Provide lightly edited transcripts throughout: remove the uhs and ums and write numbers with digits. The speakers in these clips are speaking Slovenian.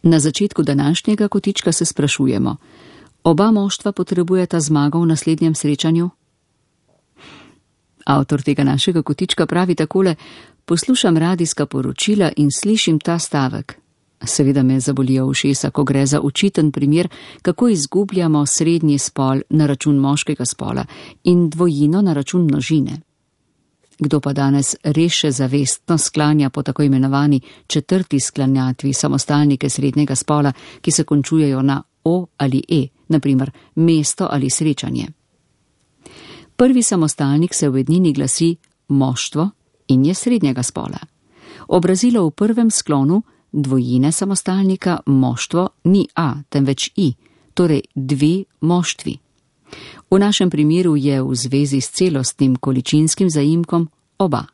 Na začetku današnjega kotička se sprašujemo, oba moštva potrebujeta zmago v naslednjem srečanju? Avtor tega našega kotička pravi takole: poslušam radijska poročila in slišim ta stavek. Seveda me zabolijo ušesa, ko gre za očiten primer, kako izgubljamo srednji spol na račun moškega spola in dvojino na račun množine. Kdo pa danes res še zavestno sklanja po tako imenovani četrti sklanjatvi samostalnike srednjega spola, ki se končujejo na o ali e, naprimer mesto ali srečanje. Prvi samostalnik se v ednini glasi moštvo in je srednjega spola. Obrazilo v prvem sklonu dvojine samostalnika moštvo ni a, temveč i, torej dve moštvi. V našem primeru je v zvezi s celostnim količinskim zaimkom oba.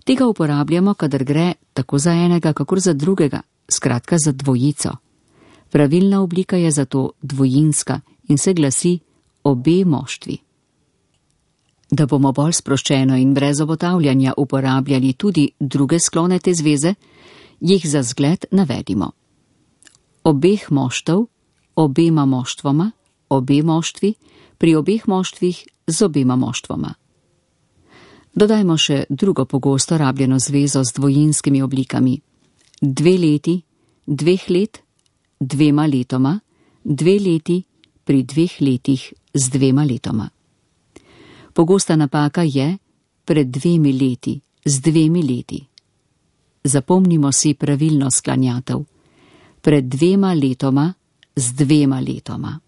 Tega uporabljamo, kadar gre tako za enega, kakor za drugega, skratka za dvojico. Pravilna oblika je zato dvojinska in se glasi obe moštvi. Da bomo bolj sproščeno in brez obotavljanja uporabljali tudi druge sklone te zveze, jih za zgled navedimo. Obeh moštev, obema moštvoma, obe moštvi, pri obeh moštvih z obema moštvoma. Dodajmo še drugo pogosto rabljeno zvezo z dvojinskimi oblikami. 2 leti, 2 let, 2 letoma, 2 leti, pri 2 letih z 2 letoma. Pogosta napaka je pred 2 leti, z 2 leti. Zapomnimo si pravilno sklanjatev. Pred 2 letoma, z 2 letoma.